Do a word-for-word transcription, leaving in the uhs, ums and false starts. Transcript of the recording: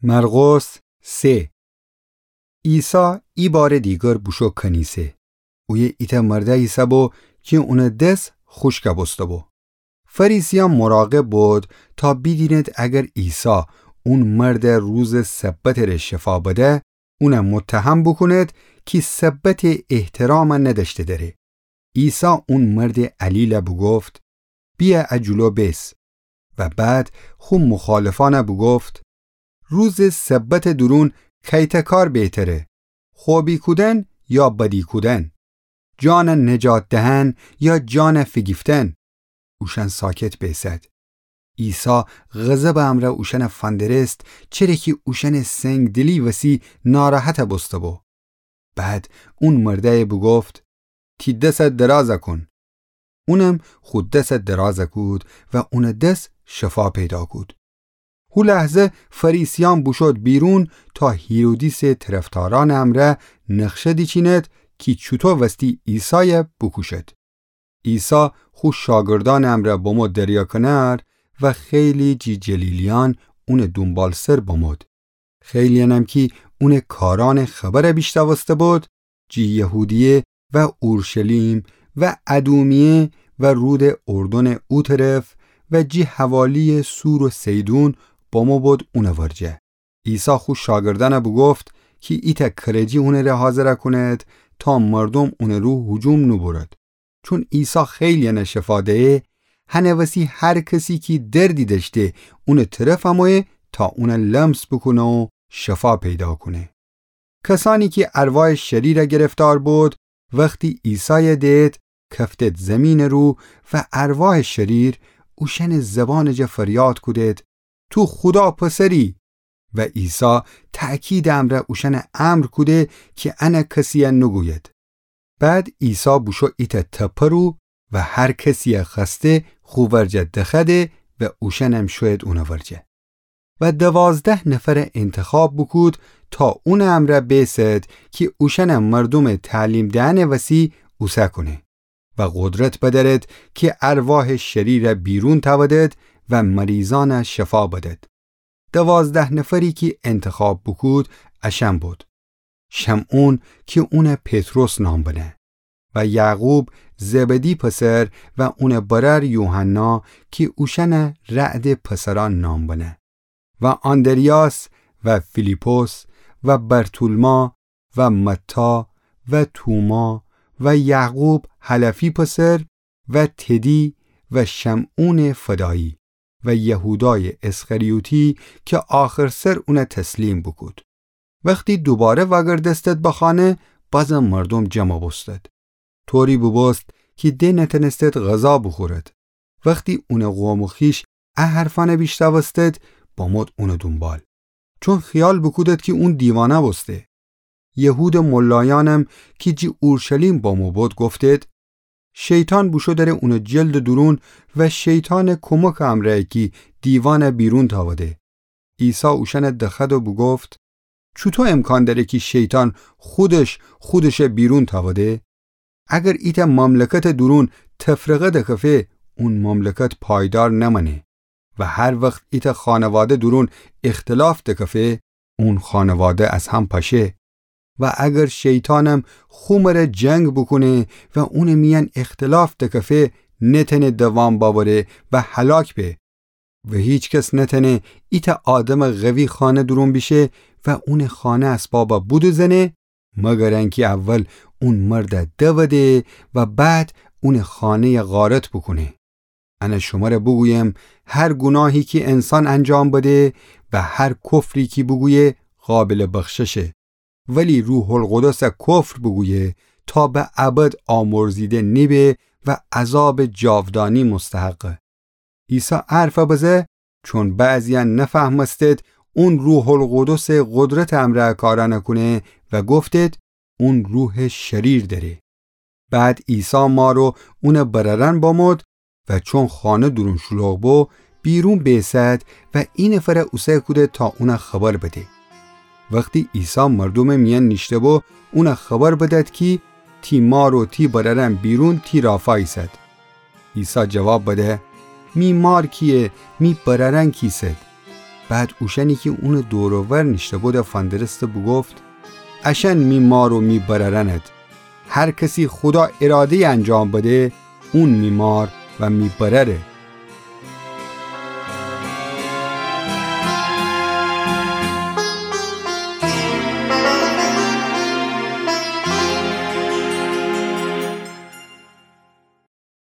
مرقس سه. عیسی ایبارٚ دیگر بوشو کنیسه. اویه ایتأ مرده ایسه‌بو کی اونٚ دس خوشک بوسته‌بو. فریسیأن مراقب بود تا بیدینید اگر عیسی اون مرد روزٚ سبتٚ ره شفا بده، اون متهم بوکونید کی سبتٚ احترام ندأشته دره. عیسی اون مردٚ علیل بوگفت: بیه ا جلو بیس. و بعد خو مخالفأن بوگفت: روزٚ سبتٚ دورون کیتأ کار بهتره، خوبی کودن یا بدی کودن؟ جان نجات دهن یا جان فیگیفتن؟ اوشأن ساکت بیسد. عیسی غضبٚ امرأ اوشأن فندرست، چره کی اوشأنٚ سنگدلی وسی ناراحت بوسته‌بو. بعد اون مردأی بوگفت: تی دس دراز کون. اونم خو دس دراز کود و اونٚ دس شفا پیدا کود. هو لحظه فریسیأن بوشود بیرون تا هیرودیسٚ طرفدارأنٚ امرأ نقشه دیچیند کی چوطو وستی عیسای بوکوشد. عیسی خو شاگردأنٚ امرأ بمو دریا کنار و خیلی جی جلیلیأن اونٚ دونبالسر بمود. خیلی‌یأنم کی اونٚ کارأنٚ خبر بیشنوسته بود، جی یهودیه و اورشلیم و ادومیه و رودٚ اردنٚ او طرف و جی حوالیٚ صور و صیدون بمو بود اونٚ ورجه. عیسی خو شاگردأن بوگفت کی ایتأ کرجی اونٚ ره حاضر کونید تا مردوم اونٚ رو هجوم نوبورد. چون عیسی خیلی‌یأن شفا دیه، هنٚ وسی هر کسی کی دردی دأشته اونٚ طرف امویه تا اون لمس بوکونه و شفا پیدا کونه. کسأنی کی ارواحٚ شریر گرفتار بود، وختی عیسای دید، کفتید زیمینٚ رو و ارواحٚ شریر اوشأنٚ زبانٚ جا فریاد کودید: تو خودا پسری! و عیسی تأکیدٚ امرأ اوشأن امر کوده کی ان کسی نوگوید. بعد عیسی بوشو ایتأ تپه رو و هر کسی خوأسته خو ورجه دخوأده و اوشأنم شوید اونٚ ورجه. و دوازده نفر انتخاب بوکود تا اونٚ امرأ بیسد کی اوشأن مردومٚ تعلیم دئنٚ وسی اوسه کونه و قدرت بدأرد کی ارواحٚ شریر بیرون تأودد و مریضأن شفا بدد. دوازده نفری کی انتخاب بوکود اشأن بود: شمعون کی اون پطرس نام بنه، و یعقوب زبدی پسر و اونٚ برأر یوحنا کی اوشأن رعدٚ پسرأن نام بنه، و آندریاس و فیلیپس و برتولما و متی و توما و یعقوب حلفی پسر و تدی و شمعونٚ فدایی و یهودایٚ اسخریوطی کی آخرسر اون تسلیم بوکود. وختی دوباره وأگردستد به خانه، بازم مردوم جمع بوستد. طوری بوبوست کی ده نتأنستد غذا بوخورد. وختی اونٚ قوم و خویش ا حرفأن بیشنوستد، بمود اونٚ دونبال، چون خیال بوکودد کی اون دیوانه بوسته. یهودٚ ملایأنم کی جی اورشلیم بمو بود گفتید: شیطان بوشو دره اونٚ جلدٚ دورون و شیطانٚ کمکٚ امرأیه کی دیوان بیرون تأوده. عیسی اوشأن دخوأد و بوگفت: چوطو امکان دأره کی شیطان خودش خودش بیرون تأوده؟ اگر ایتأ مملکتٚ دورون تفرقه دکفه، اون مملکت پایدار نمأنه. و هر وخت ایتأ خانواده دورون اختلاف دکفه، اون خانواده از هم پشه. و اگر شیطانم خو مره جنگ بوکونه و اونٚ میأن اختلاف دکفه، نتأنه دوام بأوره و هلاک به. و هیکس نتأنه ایتأ آدمٚ قوی خانه دورون بیشه و اونٚ خانه اسبابَ بودوزنه، مگر انکی اول اون مردَ دوده و بعد اونٚ خانه‌یَ غارت بوکونه. انه شمره بوگویم، هر گوناهی کی انسان انجام بده و هر کفری کی بوگویه، قابلٚ بخششه. ولی روح‌القدسَ کفر بوگویه، تا به ابد آمرزیده نیبه و عذابٚ جاودانی مستحقه. عیسی ا حرفَ بزه، چون بعضی‌یأن نفهمستید اون روح‌القدسٚ قدرتٚ امرأ ا کارأنَ کونه و گفتید، اون روحٚ شریر دأره. بعد عیسی مار و اونٚ برأرأن بمود و چون خانه دورون شلوغ بو، بیرون بیسد و اینفرَ اوسه کوده تا اونَ خبر بده. وختی عیسی مردومٚ میأن نیشته بو، اونَ خبر بدد کی تی مار و تی برأرأن بیرون تی رافا ایسد. عیسی جواب بده، می مار کیه، می برأرأن کیسد؟ بعد اوشأنی کی اونٚ دور و ور نیشته‌بودٚ فندرسته بوگفت: اشأن می مار و می برأرأند. هر کسی خودا اراده‌یٚ انجام بده، اون می مار و می برأره.